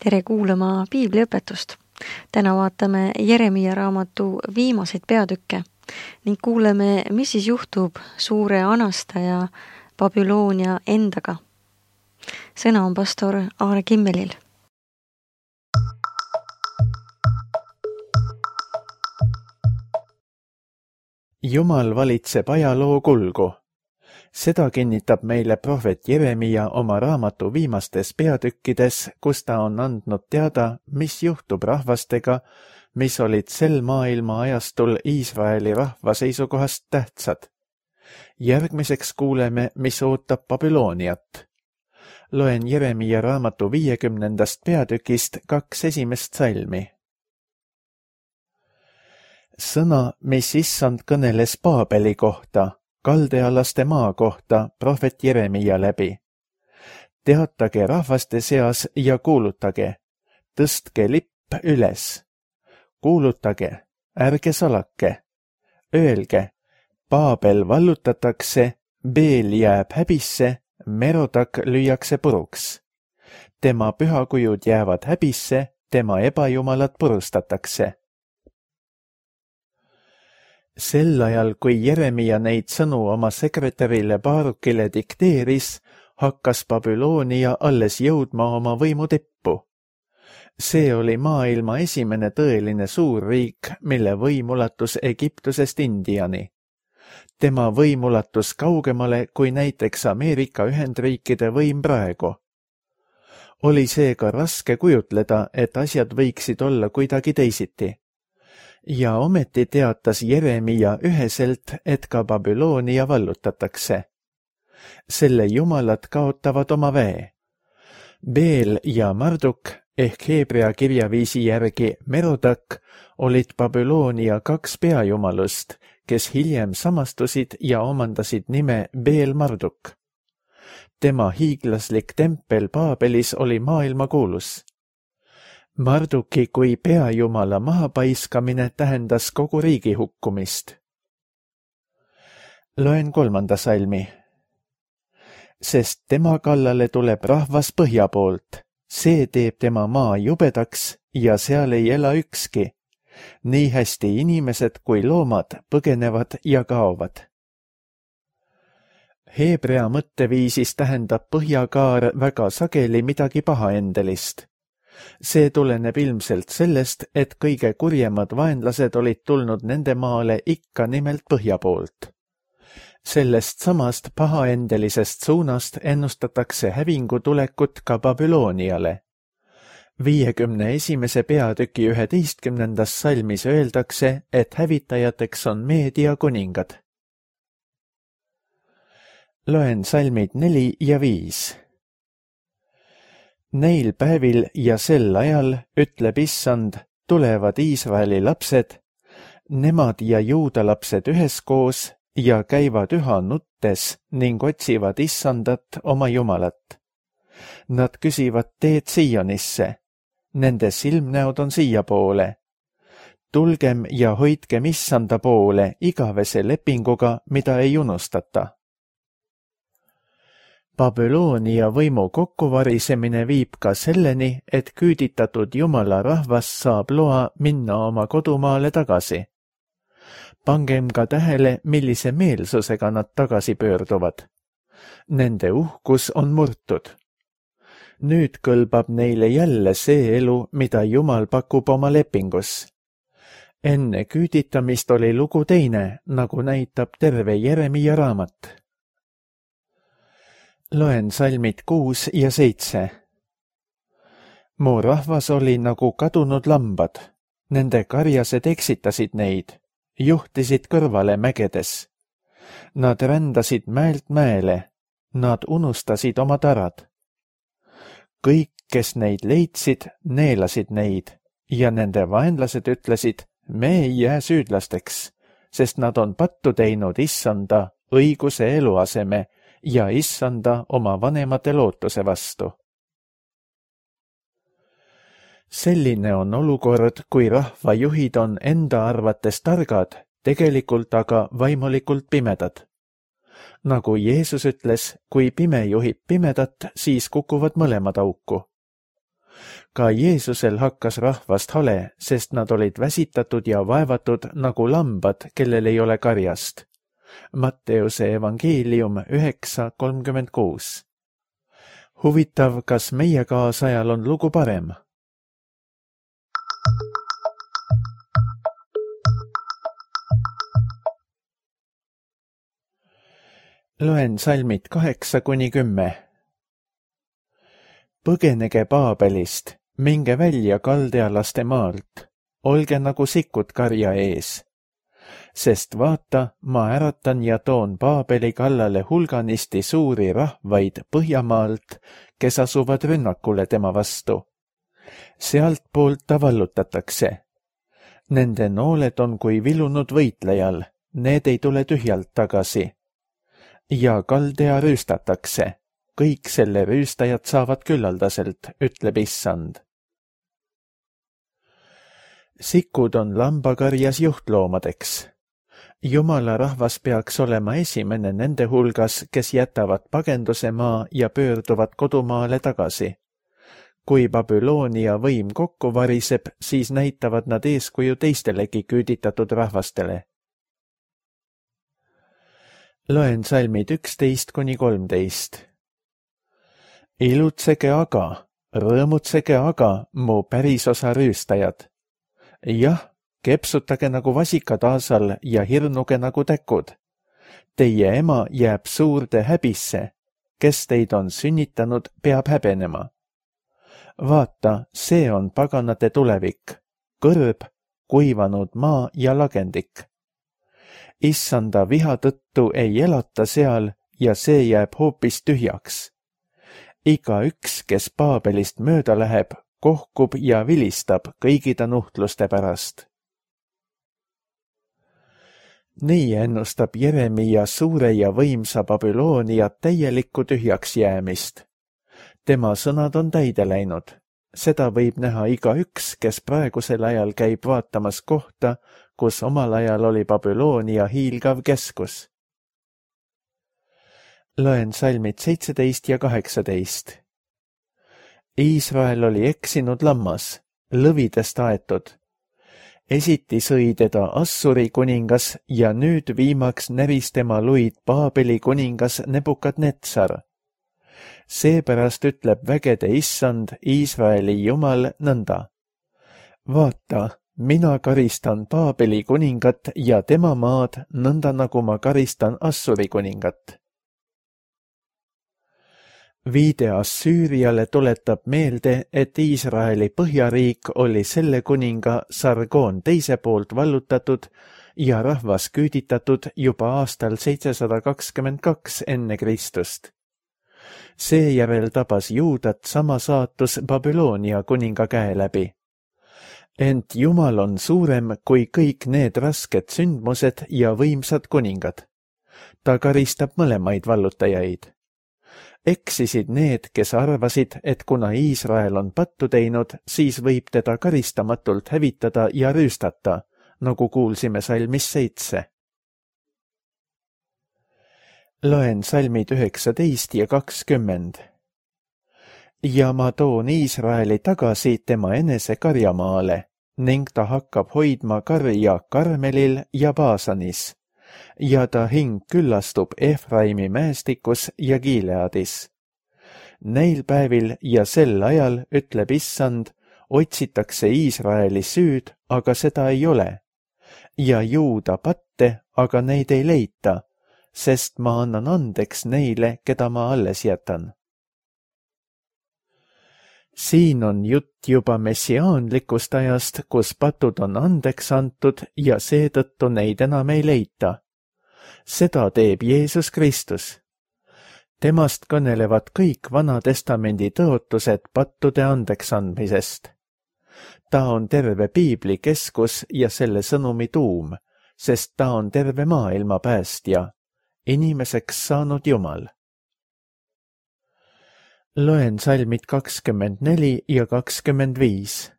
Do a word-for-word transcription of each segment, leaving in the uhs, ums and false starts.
Tere kuulama piibliõpetust. Täna vaatame Jeremia raamatu viimaseid peatükke ning kuuleme, mis siis juhtub suure anastaja Babyloonia endaga. Sõna on pastor Aare Kimmelil. Jumal valitseb ajaloo kulgu. Seda kinnitab meile prohvet Jeremia oma raamatu viimastes peatükkides, kus ta on andnud teada, mis juhtub rahvastega, mis olid sel maailma ajastul Iisraeli rahva seisukohast tähtsad. Järgmiseks kuuleme, mis ootab Babyloniat. Loen Jeremia raamatu viiekümnendast peatükist kaks esimest salmi. Sõna, mis issand kõneles Paabeli kohta, kaldealaste maa kohta prohvet Jeremia läbi. Teatage rahvaste seas ja kuulutage, tõstke lipp üles. Kuulutage, ärge salake. Öelge, Paabel vallutatakse, Beel jääb häbisse, Merodak lüüakse puruks. Tema pühakujud jäävad häbisse, tema ebajumalad purustatakse. Sel ajal, kui Jeremia neid sõnu oma sekretärile Baarukile dikteeris, hakkas Babyloonia alles jõudma oma võimu tippu. See oli maailma esimene tõeline suurriik, mille võim ulatus Egiptusest Indiani. Tema võim ulatus kaugemale kui näiteks Ameerika Ühendriikide võim praegu. Oli seega raske kujutleda, et asjad võiksid olla kuidagi teisiti. Ja ometi teatas Jeremia üheselt, et ka Babyloonia vallutatakse. Selle jumalad kaotavad oma väe. Beel ja Marduk ehk heebrea kirjaviisi järgi Merodak olid Babyloonia kaks peajumalust, kes hiljem samastusid ja omandasid nime Beel Marduk. Tema hiiglaslik tempel Paabelis oli maailmakuulus. Marduki kui peajumala mahapaiskamine tähendas kogu riigi hukkumist. Loen kolmanda salmi. Sest tema kallale tuleb rahvas põhja poolt, see teeb tema maa jubedaks ja seal ei ela ükski. Nii hästi inimesed kui loomad põgenevad ja kaovad. Heebrea mõtteviisis tähendab põhjakaar väga sageli midagi pahaendelist. See tuleneb ilmselt sellest, et kõige kurjemad vaenlased olid tulnud nende maale ikka nimelt põhja poolt. Sellest samast pahaendelisest suunast ennustatakse hävingu tulekut ka Babyloniale. viiekümne esimese peatüki üheteistkümnendas salmis öeldakse, et hävitajateks on Meedia kuningad. Loen salmid neli ja viis. Neil päevil ja sel ajal, ütleb issand, tulevad Iisraeli lapsed, nemad ja juuda lapsed üheskoos ja käivad üha nuttes ning otsivad issandat oma jumalat. Nad küsivad teed Sionisse, nende silmnäod on siiapoole. Tulgem ja hoidkem issanda poole igavese lepinguga, mida ei unustata. Babyloonia võimu kokkuvarisemine viib ka selleni, et küüditatud jumala rahvas saab loa minna oma kodumaale tagasi. Pangem ka tähele, millise meelsusega nad tagasi pöörduvad. Nende uhkus on murtud. Nüüd kõlbab neile jälle see elu, mida Jumal pakub oma lepingus. Enne küüditamist oli lugu teine, nagu näitab terve Jeremia raamat. Loen salmid kuus ja seitse. Mu rahvas oli nagu kadunud lambad. Nende karjased eksitasid neid, juhtisid kõrvale mägedes. Nad rändasid mäelt mäele, nad unustasid oma tarad. Kõik, kes neid leidsid, neelasid neid ja nende vaenlased ütlesid, me ei jää süüdlasteks, sest nad on pattu teinud issanda õiguse eluaseme ja issanda oma vanemate lootuse vastu. Selline on olukord, kui rahvajuhid on enda arvates targad, tegelikult aga vaimulikult pimedad. Nagu Jeesus ütles, kui pime juhib pimedat, siis kukuvad mõlemad auku. Ka Jeesusel hakkas rahvast hale, sest nad olid väsitatud ja vaevatud nagu lambad, kellel ei ole karjast. Matteuse evangeelium üheksa kolmkümmend kuus. Huvitav, kas meie kaasajal on lugu parem? Loen salmid kaheksa kuni kümme. Põgenege Paabelist, minge välja kaldealaste maalt, olge nagu sikud karja ees. Sest vaata, ma äratan ja toon Paabeli kallale hulganisti suuri rahvaid Põhjamaalt, kes asuvad rünnakule tema vastu. Sealt poolt ta vallutatakse. Nende nooled on kui vilunud võitlejal, need ei tule tühjalt tagasi. Ja kaldea rüüstatakse, kõik selle rüüstajad saavad küllaldaselt, ütleb issand. Sikud on lambakarjas juhtloomadeks. Jumala rahvas peaks olema esimene nende hulgas, kes jätavad pagenduse maa ja pöörduvad kodumaale tagasi. Kui Babyloonia võim kokku variseb, siis näitavad nad eeskuju teistelegi küüditatud rahvastele. Loen salmid üksteist kuni kolmteist. Ilutsege aga, rõõmutsege aga, mu pärisosa rüüstajad. Jah, kepsutage nagu vasikad aasal ja hirnuge nagu täkud. Teie ema jääb suurde häbisse, kes teid on sünnitanud, peab häbenema. Vaata, see on paganate tulevik, kõrb, kuivanud maa ja lagendik. Issanda viha tõttu ei elata seal ja see jääb hoopis tühjaks. Iga üks, kes Paabelist mööda läheb, kohkub ja vilistab kõigi ta nuhtluste pärast. Nii ennustab Jeremia suure ja võimsa Babyloonia täielikku tühjaks jäämist. Tema sõnad on täide läinud. Seda võib näha iga üks, kes praegusel ajal käib vaatamas kohta, kus omal ajal oli Babyloonia hiilgav keskus. Loen salmid seitseteist ja kaheksateist. Iisrael oli eksinud lammas, lõvidest aetud. Esiti sõi teda Assuri kuningas ja nüüd viimaks näris tema luid Paabeli kuningas Nebukadnetsar. Seepärast ütleb vägede issand, Iisraeli jumal nõnda. Vaata, mina karistan Paabeli kuningat ja tema maad nõnda, nagu ma karistan Assuri kuningat. Viide Assüüriale tuletab meelde, et Iisraeli põhjariik oli selle kuninga Sargon teise poolt vallutatud ja rahvas küüditatud juba aastal seitsesada kakskümmend kaks enne Kristust. Seejärel tabas Juudat sama saatus Babyloonia kuninga käe läbi. Ent Jumal on suurem kui kõik need rasked sündmused ja võimsad kuningad. Ta karistab mõlemaid vallutajaid. Eksisid need, kes arvasid, et kuna Iisrael on pattu teinud, siis võib teda karistamatult hävitada ja rüüstata, nagu kuulsime salmis seitse. Loen salmid üheksateist ja kakskümmend. Ja ma toon Iisraeli tagasi tema enese karjamaale ning ta hakkab hoidma karja Karmelil ja Baasanis. Ja ta hing küllastub Efraimi mäestikus ja Gileadis. Neil päevil ja sel ajal, ütleb issand, otsitakse Iisraeli süüd, aga seda ei ole. Ja Juuda patte, aga neid ei leita, sest ma annan andeks neile, keda ma alles jätan. Siin on jutt juba messiaanlikust ajast, kus patud on andeks antud ja seetõttu neid enam ei leita. Seda teeb Jeesus Kristus. Temast kõnelevad kõik Vana Testamendi tõotused pattude andeks andmisest. Ta on terve piibli keskus ja selle sõnumi tuum, sest ta on terve maailma päästja, inimeseks saanud Jumal. Loen salmid kakskümmend neli ja kakskümmend viis.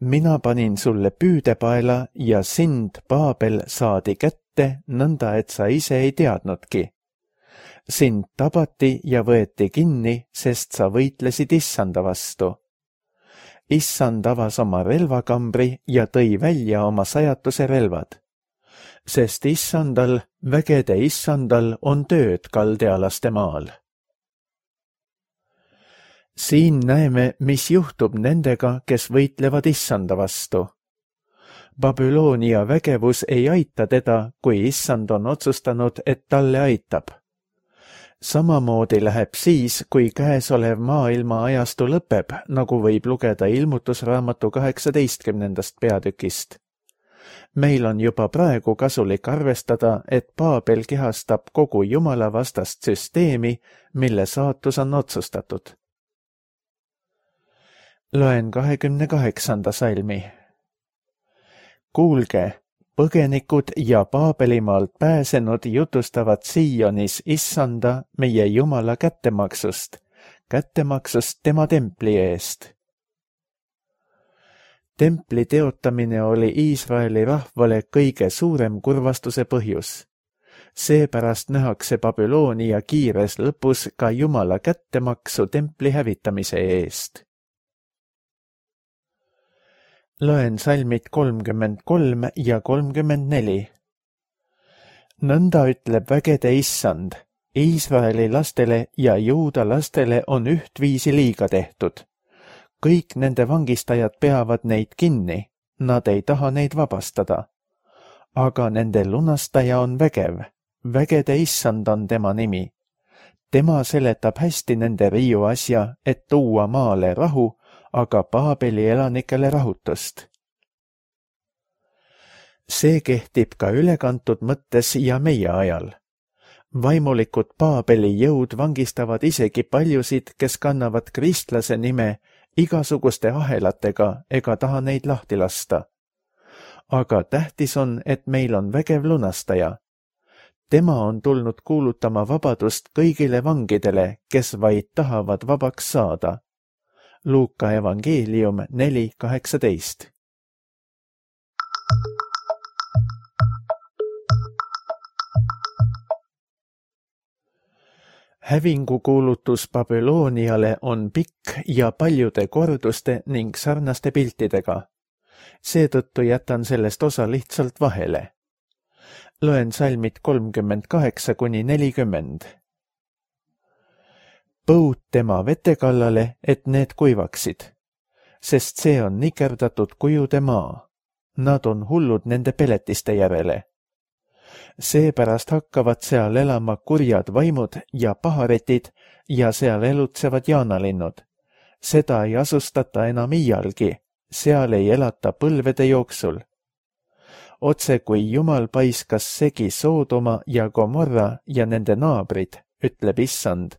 Mina panin sulle püüdepaela ja sind, Paabel, saadi kätte, nõnda et sa ise ei teadnudki. sind tabati ja võeti kinni, sest sa võitlesid issanda vastu. Issand avas oma relvakambri ja tõi välja oma sajatuse relvad. Sest issandal, vägede issandal on tööd kaldealaste maal. Siin näeme, mis juhtub nendega, kes võitlevad issanda vastu. Babyloonia vägevus ei aita teda, kui issand on otsustanud, et talle aitab. Samamoodi läheb siis, kui käesolev maailma ajastu lõpeb, nagu võib lugeda ilmutusraamatu kaheksateistkümnendast peatükist. Meil on juba praegu kasulik arvestada, et Paabel kehastab kogu Jumala vastast süsteemi, mille saatus on otsustatud. Loen kahekümne kaheksanda salmi. Kuulge, põgenikud ja Paabelimaalt pääsenud jutustavad Sionis issanda meie Jumala kättemaksust, kättemaksust tema templi eest. Templi teotamine oli Iisraeli rahvale kõige suurem kurvastuse põhjus. Seepärast nähakse Babyloonia kiires lõpus ka Jumala kättemaksu templi hävitamise eest. Loen salmid kolmkümmend kolm ja kolmkümmend neli. Nõnda ütleb vägede issand, Iisraeli lastele ja Juuda lastele on ühtviisi liiga tehtud. Kõik nende vangistajad peavad neid kinni, nad ei taha neid vabastada. Aga nende lunastaja on vägev, vägede issand on tema nimi. Tema seletab hästi nende riiu asja, et tuua maale rahu, aga Paabeli elanikele rahutust. See kehtib ka ülekantud mõttes ja meie ajal. Vaimulikud Paabeli jõud vangistavad isegi paljusid, kes kannavad kristlase nime igasuguste ahelatega ega taha neid lahti lasta. Aga tähtis on, et meil on vägev lunastaja. Tema on tulnud kuulutama vabadust kõigile vangidele, kes vaid tahavad vabaks saada. Luuka evangeelium neli kaheksateist. Hävingukuulutus Babyloniale on pikk ja paljude korduste ning sarnaste piltidega. Seetõttu jätan sellest osa lihtsalt vahele. Loen salmid kolmkümmend kaheksa kuni nelikümmend. Põud tema vete kallale, et need kuivaksid, sest see on nikerdatud kujude maa. Nad on hullud nende peletiste järele. Seepärast hakkavad seal elama kurjad vaimud ja paharetid ja seal elutsevad jaanalinnud. Seda ei asustata enam iialgi, seal ei elata põlvede jooksul. Otse kui Jumal paiskas segi Soodoma ja Gomorra ja nende naabrid, ütleb issand,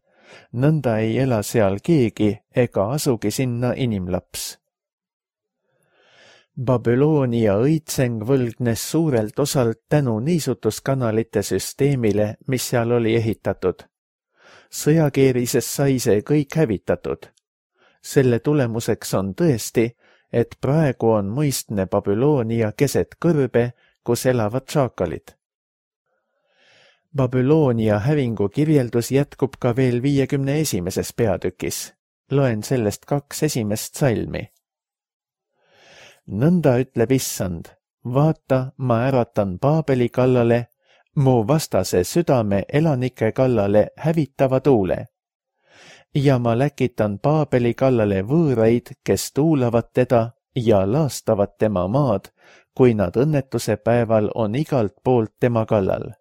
nõnda ei ela seal keegi ega asugi sinna inimlaps. Babyloonia õitseng võlgnes suurelt osalt tänu niisutuskanalite süsteemile, mis seal oli ehitatud. Sõjakeerises sai see kõik hävitatud. Selle tulemuseks on tõesti, et praegu on muistne Babyloonia keset kõrbe, kus elavad šaakalid. Babyloonia hävingu kirjeldus jätkub ka veel viiekümne esimeses peatükis. Loen sellest kaks esimest salmi. Nõnda ütleb issand, vaata, ma äratan Paabeli kallale, mu vastase südame elanike kallale hävitava tuule. Ja ma läkitan Paabeli kallale võõraid, kes tuulavad teda ja laastavad tema maad, kui nad õnnetuse päeval on igalt poolt tema kallal.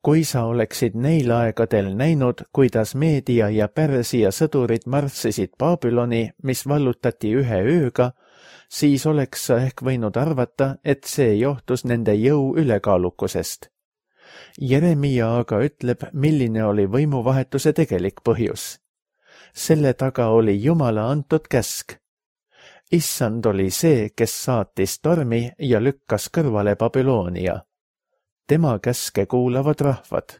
Kui sa oleksid neil aegadel näinud, kuidas Meedia ja Pärsia sõdurid marssisid Babyloni, mis vallutati ühe ööga, siis oleks sa ehk võinud arvata, et see johtus nende jõu ülekaalukusest. Jeremia aga ütleb, milline oli võimuvahetuse tegelik põhjus. Selle taga oli Jumala antud käsk. Issand oli see, kes saatis tormi ja lükkas kõrvale Babyloonia. Tema käske kuulavad rahvad.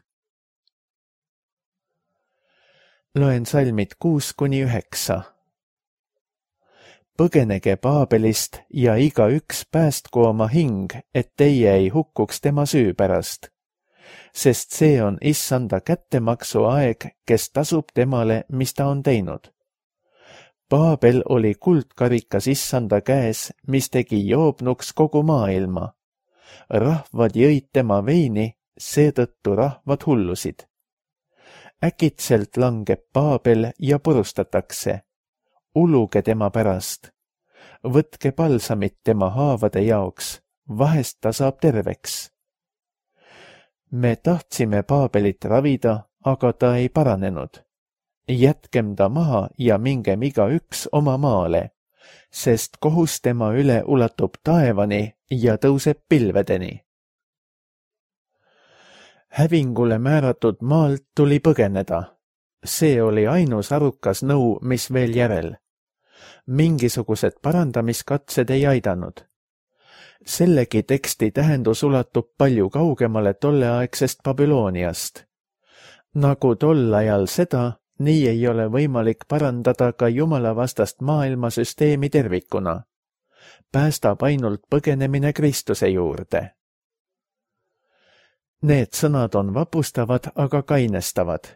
Loen salmid kuus kuni üheksa. Põgenege Paabelist ja iga üks päästku oma hing, et teie ei hukkuks tema süü pärast. sest see on issanda kättemaksu aeg, kes tasub temale, mis ta on teinud. Paabel oli kuldkarikas issanda käes, mis tegi joobnuks kogu maailma. Rahvad jõid tema veini, seetõttu rahvad hullusid. Äkitselt langeb Paabel ja purustatakse. Uluge tema pärast. Võtke palsamit tema haavade jaoks, vahest ta saab terveks. Me tahtsime Paabelit ravida, aga ta ei paranenud. Jätkem ta maha ja mingem igaüks oma maale, sest kohus tema üle ulatub taevani ja tõuseb pilvedeni. Hävingule määratud maalt tuli põgeneda. See oli ainus arukas nõu, mis veel järel. Mingisugused parandamiskatsed ei aidanud. Sellegi teksti tähendus ulatub palju kaugemale tolleaegsest Babyloniast. Nagu tol ajal seda, nii ei ole võimalik parandada ka jumalavastast maailmasüsteemi tervikuna. Päästab ainult põgenemine Kristuse juurde. Need sõnad on vapustavad, aga kainestavad.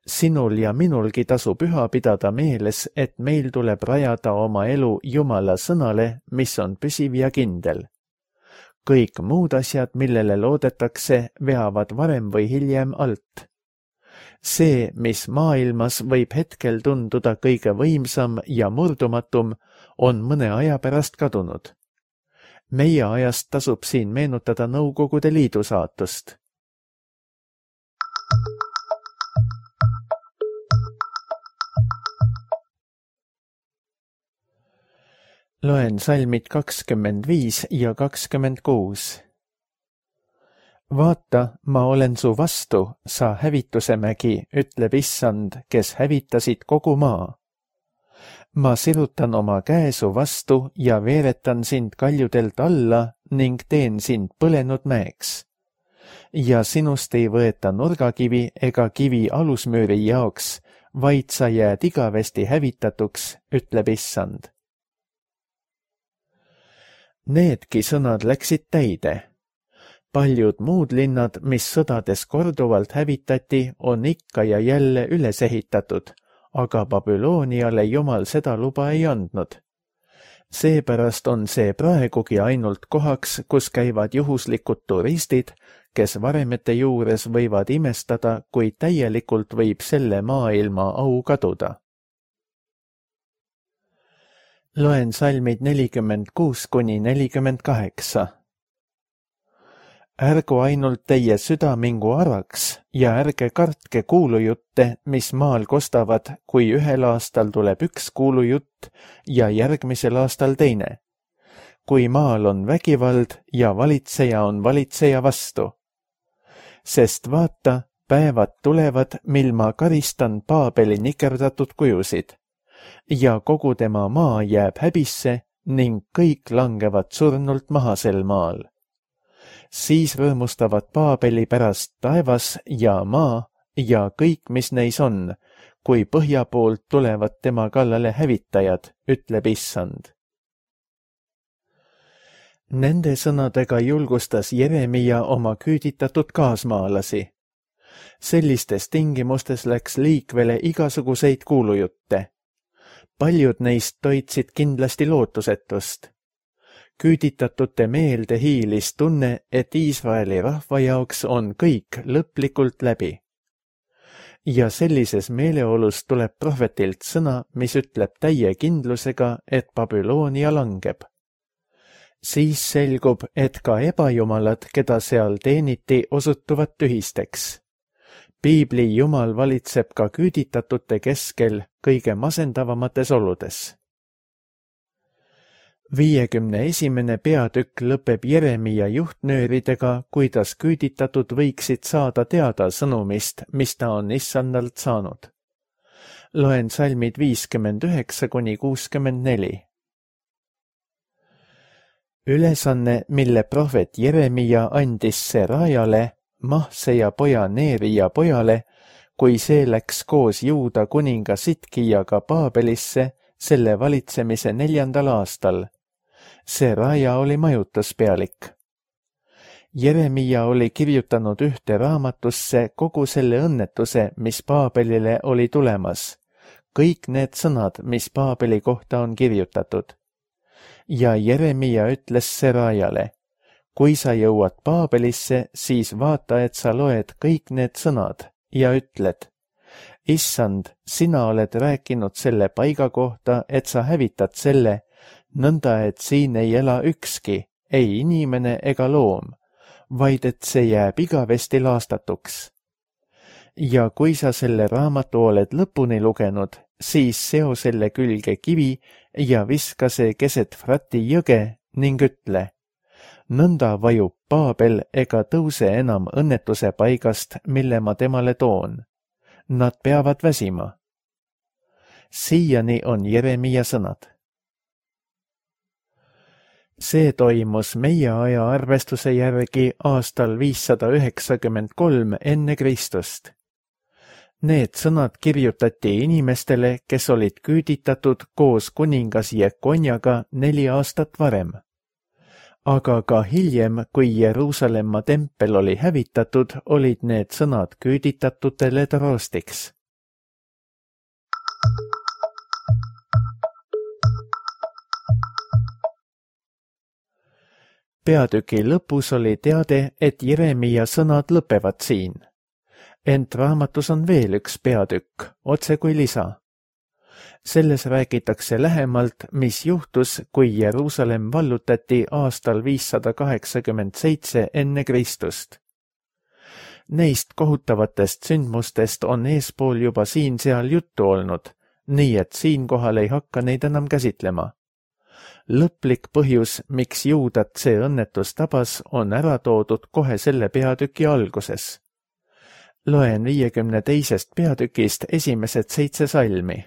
Sinul ja minulgi tasu püha pidada meeles, et meil tuleb rajada oma elu Jumala sõnale, mis on püsiv ja kindel. Kõik muud asjad, millele loodetakse, veavad varem või hiljem alt. See, mis maailmas võib hetkel tunduda kõige võimsam ja murdumatum, on mõne aja pärast kadunud. Meie ajast tasub siin meenutada Nõukogude Liidu saatust. Loen salmid kakskümmend viis ja kakskümmend kuus. Vaata, ma olen su vastu, sa hävitusemägi, ütleb issand, kes hävitasid kogu maa. Ma sirutan oma käe su vastu ja veeretan sind kaljudelt alla ning teen sind põlenud mäeks. Ja sinust ei võeta nurgakivi ega kivi alusmüüri jaoks, vaid sa jääd igavesti hävitatuks, ütleb issand. Needki sõnad läksid täide. Paljud muud linnad, mis sõdades korduvalt hävitati, on ikka ja jälle üles ehitatud, aga Babyloniale Jumal seda luba ei andnud. Seepärast on see praegugi ainult kohaks, kus käivad juhuslikud turistid, kes varemete juures võivad imestada, kui täielikult võib selle maailma au kaduda. Loen salmid nelikümmend kuus kuni nelikümmend kaheksa. Ärgu ainult teie süda mingu araks ja ärge kartke kuulujutte, mis maal kostavad, kui ühel aastal tuleb üks kuulujutt ja järgmisel aastal teine. Kui maal on vägivald ja valitseja on valitseja vastu. Sest vaata, päevad tulevad, mil ma karistan Paabeli nikerdatud kujusid. Ja kogu tema maa jääb häbisse ning kõik langevad surnult maha sel maal. Siis rõõmustavad Paabeli pärast taevas ja maa ja kõik, mis neis on, kui põhja poolt tulevad tema kallale hävitajad, ütleb issand. Nende sõnadega julgustas Jeremia oma küüditatud kaasmaalasi. Sellistes tingimustes läks liikvele igasuguseid kuulujutte. Paljud neist toitsid kindlasti lootusetust. Küüditatute meelde hiilis tunne, et Iisraeli rahva jaoks on kõik lõplikult läbi. Ja sellises meeleolus tuleb prohvetilt sõna, mis ütleb täie kindlusega, et Babylonia langeb. Siis selgub, et ka ebajumalad, keda seal teeniti, osutuvad tühisteks. Piibli Jumal valitseb ka küüditatute keskel kõige masendavamates oludes. Viiekümne esimene peatükk lõpeb Jeremia juhtnööridega, kuidas küüditatud võiksid saada teada sõnumist, mis ta on issandalt saanud. Loen salmid viiskümmend üheksa kuni kuuskümmend neli. Ülesanne, mille prohvet Jeremia andis Serajale, Mahse ja poja Neeria pojale, kui see läks koos Juuda kuninga Sitkijaga Paabelisse selle valitsemise neljandal aastal. Seraja oli majutuspealik. Jeremia oli kirjutanud ühte raamatusse kogu selle õnnetuse, mis Paabelile oli tulemas. Kõik need sõnad, mis Paabeli kohta on kirjutatud. Ja Jeremia ütles Serajale, kui sa jõuad Paabelisse, siis vaata, et sa loed kõik need sõnad ja ütled, issand, sina oled rääkinud selle paiga kohta, et sa hävitad selle, nõnda et siin ei ela ükski, ei inimene ega loom, vaid et see jääb igavesti laastatuks. Ja kui sa selle raamatu oled lõpuni lugenud, siis seo selle külge kivi ja viska see keset Frati jõge ning ütle, nõnda vajub Paabel ega tõuse enam õnnetuse paigast, mille ma temale toon. Nad peavad väsima. Siiani on Jeremia sõnad. See toimus meie aja arvestuse järgi aastal viissada üheksakümmend kolm enne Kristust. Need sõnad kirjutati inimestele, kes olid küüditatud koos kuningas Jekonjaga neli aastat varem. Aga ka hiljem, kui Jeruusalemma tempel oli hävitatud, olid need sõnad küüditatutele troostiks. Peatüki lõpus oli teade, et Jeremia sõnad lõpevad siin. Ent raamatus on veel üks peatükk, otse kui lisa. Selles räägitakse lähemalt, mis juhtus, kui Jeruusalemm vallutati aastal viissada kaheksakümmend seitse enne Kristust. Neist kohutavatest sündmustest on eespool juba siin-seal juttu olnud, nii et siinkohal ei hakka neid enam käsitlema. Lõplik põhjus, miks juudat see õnnetus tabas, on ära toodud kohe selle peatüki alguses. Loen viiekümne teisest peatükist esimesed seitse salmi.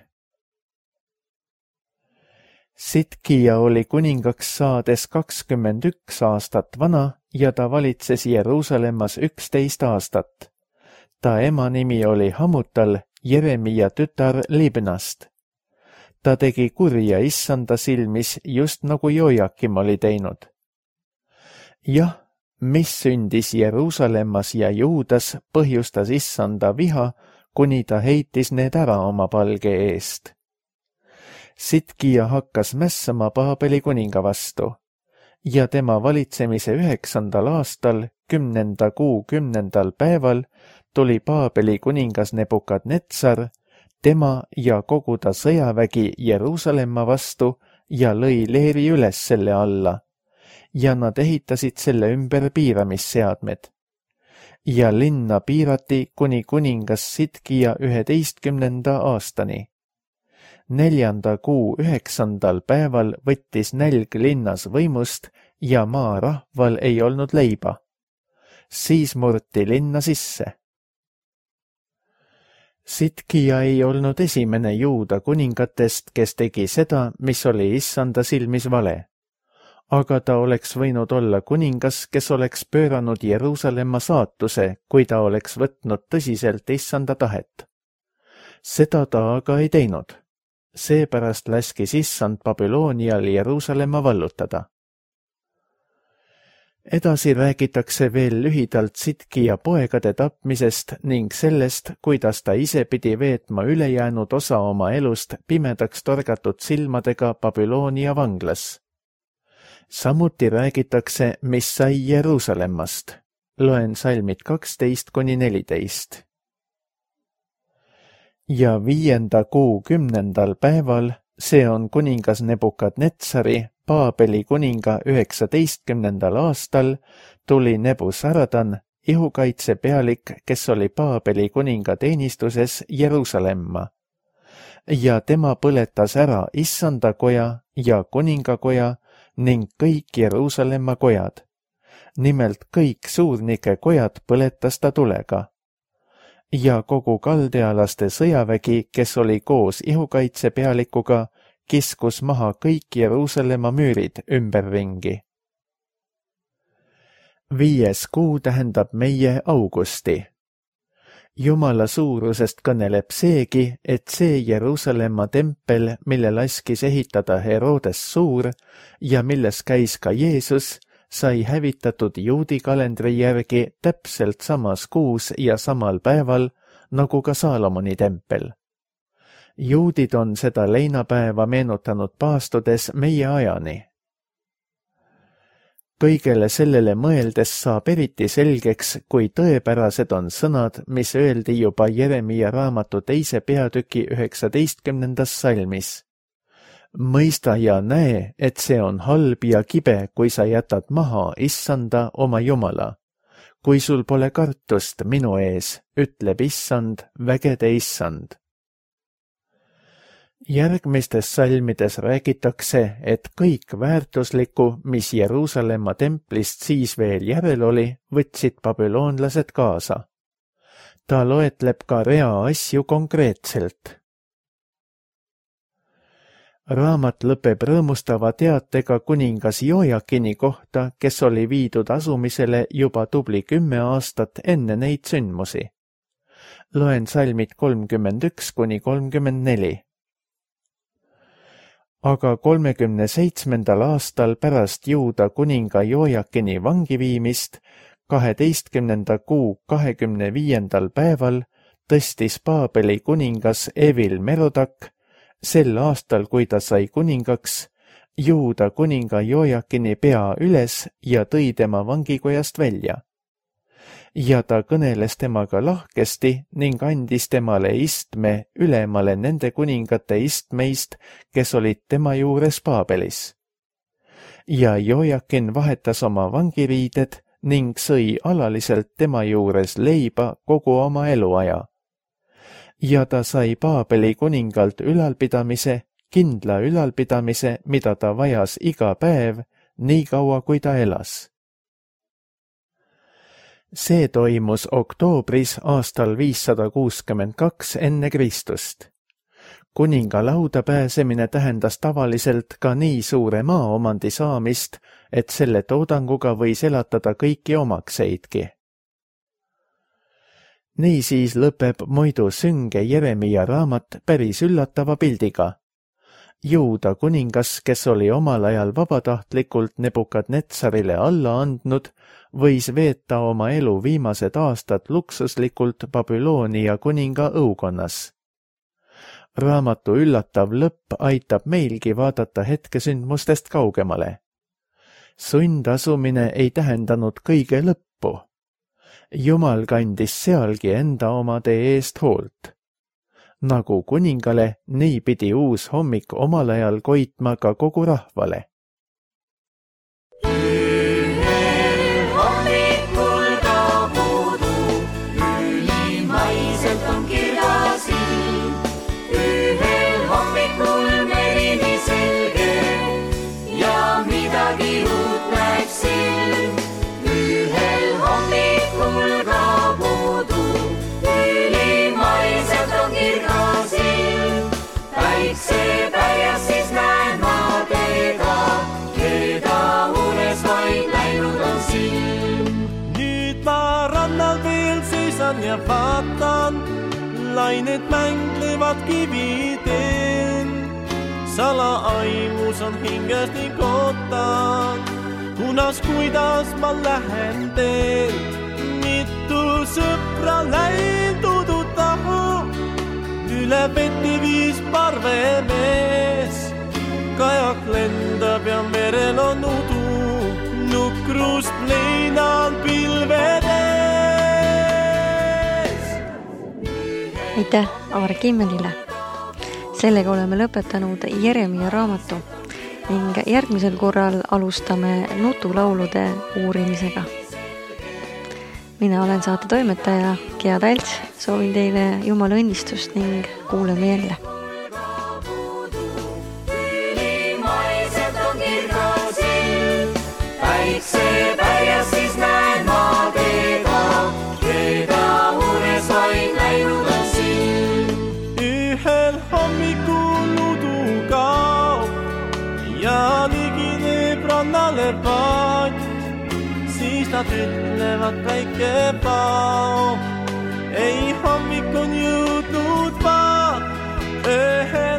Sitkija oli kuningaks saades kakskümmend üks aastat vana ja ta valitses Jeruusalemmas üksteist aastat. Ta ema nimi oli Hamutal, Jeremia tütar Libnast. Ta tegi kurja issanda silmis, just nagu Jojakim oli teinud. Jah, mis sündis Jeruusalemmas ja Juudas, põhjustas issanda viha, kuni ta heitis need ära oma palge eest. Sitkija hakkas mässama Paabeli kuninga vastu ja tema valitsemise üheksandal aastal, kümnenda kuu kümnendal päeval tuli Paabeli kuningas Nebukadnetsar, tema ja kogu ta sõjavägi Jeruusalemma vastu ja lõi leeri üles selle alla ja nad ehitasid selle ümber piiramisseadmed. Ja linna piirati kuni kuningas Sitkija üheteistkümnenda aastani. Neljanda kuu üheksandal päeval võttis nälg linnas võimust ja maarahval ei olnud leiba. Siis murti linna sisse. Sitkija ei olnud esimene Juuda kuningatest, kes tegi seda, mis oli issanda silmis vale. Aga ta oleks võinud olla kuningas, kes oleks pööranud Jeruusalemma saatuse, kui ta oleks võtnud tõsiselt issanda tahet. Seda ta aga ei teinud. Seepärast läskis issand Babylonial Jeruusalemma vallutada. Edasi räägitakse veel lühidalt Sitkija poegade tapmisest ning sellest, kuidas ta ise pidi veetma ülejäänud osa oma elust pimedaks torgatud silmadega Babylonia vanglas. Samuti räägitakse, mis sai Jeruusalemmast. Loen salmid kaksteist kuni neliteist. Ja viienda kuu kümnendal päeval, see on kuningas Nebukadnetsari, Paabeli kuninga üheksateistkümnendal aastal, tuli Nebusaradan, ihukaitse pealik, kes oli Paabeli kuninga teenistuses Jeruusalemma. Ja tema põletas ära issanda koja ja kuningakoja ning kõik Jeruusalemma kojad. Nimelt kõik suurnike kojad põletas ta tulega. Ja kogu kaldealaste sõjavägi, kes oli koos ihukaitse pealikuga, kiskus maha kõik Jeruusalemma müürid ümberringi. Viies kuu tähendab meie augusti. Jumala suurusest kõneleb seegi, et see Jeruusalemma tempel, mille laskis ehitada Herodes Suur ja milles käis ka Jeesus, sai hävitatud juudi kalendri järgi täpselt samas kuus ja samal päeval nagu ka Saalomoni tempel. Juudid on seda leinapäeva meenutanud paastudes meie ajani. Kõigele sellele mõeldes saab eriti selgeks, kui tõepärased on sõnad, mis öeldi juba Jeremia raamatu teise peatüki üheksateistkümnendas salmis. Mõista ja näe, et see on halb ja kibe, kui sa jätad maha Issanda oma Jumala. Kui sul pole kartust minu ees, ütleb Issand, vägede Issand. Järgmistes salmides räägitakse, et kõik väärtuslikku, mis Jeruusalemma templist siis veel järel oli, võtsid babüloonlased kaasa. Ta loetleb ka rea asju konkreetselt. Raamat lõpeb rõõmustava teatega kuningas Jojakini kohta, kes oli viidud asumisele juba tubli kümme aastat enne neid sündmusi. Loen salmid kolmkümmend üks kuni kolmkümmend neli. Aga kolmekümne seitsmendal aastal pärast Juuda kuninga Jojakini vangiviimist, kaheteistkümnenda kuu kahekümne viiendal päeval tõstis Paabeli kuningas Evil Merodak, sel aastal, kui ta sai kuningaks, Juuda kuninga Jojakini pea üles ja tõi tema vangikojast välja. Ja ta kõneles temaga lahkesti ning andis temale istme ülemale nende kuningate istmeist, kes olid tema juures Paabelis. Ja Jojakin vahetas oma vangiriided ning sõi alaliselt tema juures leiba kogu oma eluaja. Ja ta sai Paabeli kuningalt ülalpidamise, kindla ülalpidamise, mida ta vajas iga päev, nii kaua kui ta elas. See toimus oktoobris aastal viissada kuuskümmend kaks enne Kristust. Kuninga lauda pääsemine tähendas tavaliselt ka nii suure maaomandi saamist, et selle toodanguga võis elatada kõiki omakseidki. Niisiis lõpeb muidu sünge Jeremia raamat päris üllatava pildiga. Juuda kuningas, kes oli omal ajal vabatahtlikult Nebukadnetsarile alla andnud, võis veeta oma elu viimased aastad luksuslikult Babyloonia kuninga õukonnas. Raamatu üllatav lõpp aitab meilgi vaadata hetkesündmustest kaugemale. Sundasumine ei tähendanud kõige lõppu. Jumal kandis sealgi enda omade eest hoolt. Nagu kuningale, nii pidi uus hommik omal ajal koitma ka kogu rahvale. Ühel hommikul ka puudu, ülimaiselt on kirjas ilm. Ühel hommikul merini selge ja midagi uut näeb silm. Ühel hommikul ka puudu, ülimaiselt on kirjas ilm. Päikse pärjas siis näen ma teda, keda unes vaid läinud on silm. Nüüd ma rannal veel seisan ja vaatan, lained mänglevad kividel. Salaaimus on hinges nii kotan, kunas kuidas ma lähen teel. Mitu sõpra läindudu tahu, üle veti viis parvemees. Kajak lendab ja merel on udu, nukrust leinal pilvedes. Aitäh Aar Kimmelile! Sellega oleme lõpetanud Jeremia raamatu ning järgmisel korral alustame nutulaulude uurimisega. Mina olen saate toimetaja Gea Talts, soovin teile Jumala õnnistust ning kuuleme jälle. Ülimaiselt on kirjas ilm, päikse pärjas siis näen ma teda, keda unes vaid läinud on silm. Ühel hommikul udu kaob ja ligineb rannale paat. Siis nad ütlevad väike pao, ei hommik on jõudnud vaat. Ühel